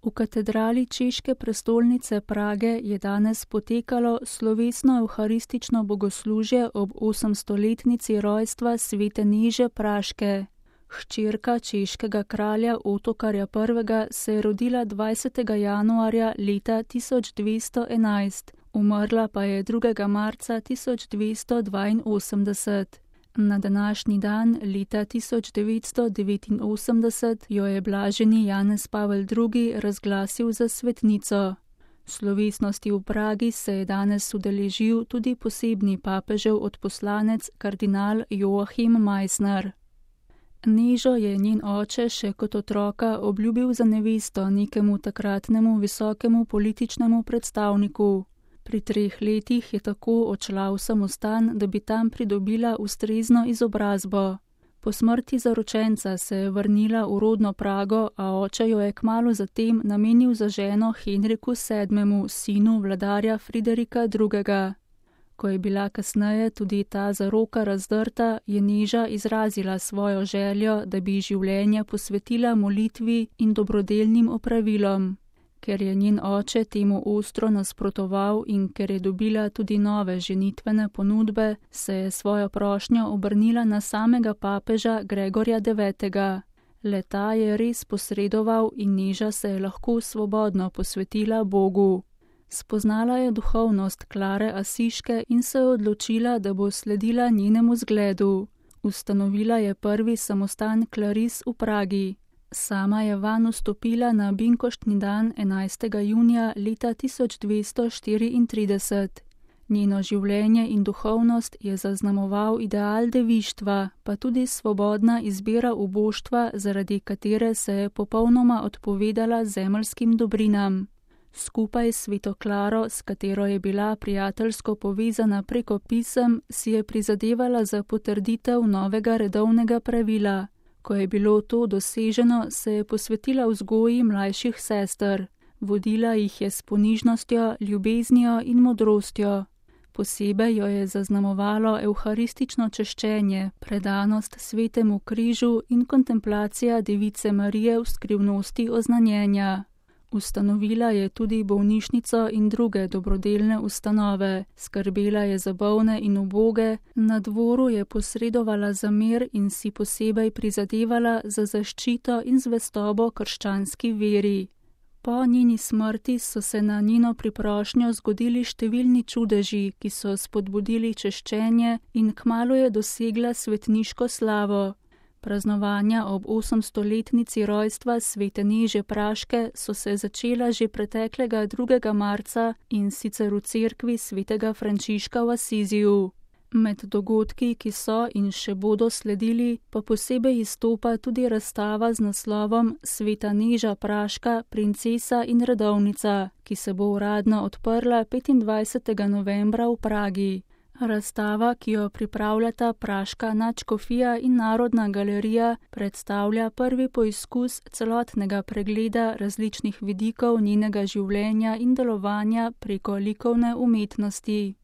V katedrali češke prestolnice Prage je danes potekalo slovesno evharistično bogoslužje ob 800-letnici rojstva svete Neže Praške. Hčerka češkega kralja Otokarja I. se je rodila 20. januarja leta 1211, umrla pa je 2. marca 1282. Na današnji dan leta 1989 jo je blaženi Janez Pavel II. Razglasil za svetnico. Slovesnosti v Pragi se je danes udeležil tudi posebni papežev odposlanec kardinal Joachim Meissner. Nežo je njen oče še kot otroka obljubil za nevesto nekemu takratnemu visokemu političnemu predstavniku. Pri 3 letih je tako odšla v samostan, da bi tam pridobila ustrezno izobrazbo. Po smrti zaročenca se je vrnila v rodno Prago, a oče jo je kmalu zatem namenil za ženo Henriku VII., sinu vladarja Friderika II. Ko je bila kasneje tudi ta zaroka razdrta, je Neža izrazila svojo željo, da bi življenje posvetila molitvi in dobrodelnim opravilom. Ker je njen oče temu ostro nasprotoval in ker je dobila tudi nove ženitvene ponudbe, se je svojo prošnjo obrnila na samega papeža Gregorja IX. Le-ta je res posredoval in Neža se je lahko svobodno posvetila Bogu. Spoznala je duhovnost Klare Asiške in se je odločila, da bo sledila njenemu zgledu. Ustanovila je prvi samostan Klaris v Pragi. Sama je vanj vstopila na binkoštni dan 11. junija leta 1234. Njeno življenje in duhovnost je zaznamoval ideal devištva, pa tudi svobodna izbira uboštva, zaradi katere se je popolnoma odpovedala zemeljskim dobrinam. Skupaj s sveto Klaro, s katero je bila prijateljsko povezana preko pisem, si je prizadevala za potrditev novega redovnega pravila. Ko je bilo to doseženo, se je posvetila vzgoji mlajših sester. Vodila jih je s ponižnostjo, ljubeznijo in modrostjo. Posebej jo je zaznamovalo evharistično češčenje, predanost svetemu križu in kontemplacija Device Marije v skrivnosti oznanjenja. Ustanovila je tudi bolnišnico in druge dobrodelne ustanove, skrbela je za bolne in uboge, na dvoru je posredovala za mir in si posebej prizadevala za zaščito in zvestobo krščanski veri. Po njeni smrti so se na njeno priprošnjo zgodili številni čudeži, ki so spodbudili češčenje in kmalu je dosegla svetniško slavo. Praznovanja ob 800-letnici rojstva svete Neže Praške so se začela že preteklega 2. marca in sicer v cerkvi svetega Frančiška v Asiziju. Med dogodki, ki so in še bodo sledili, pa posebej izstopa tudi razstava z naslovom Sveta Neža Praška, princesa in redovnica, ki se bo uradno odprla 25. novembra v Pragi. Razstava, ki jo pripravljata Praška nadškofija in Narodna galerija, predstavlja prvi poizkus celotnega pregleda različnih vidikov njenega življenja in delovanja preko likovne umetnosti.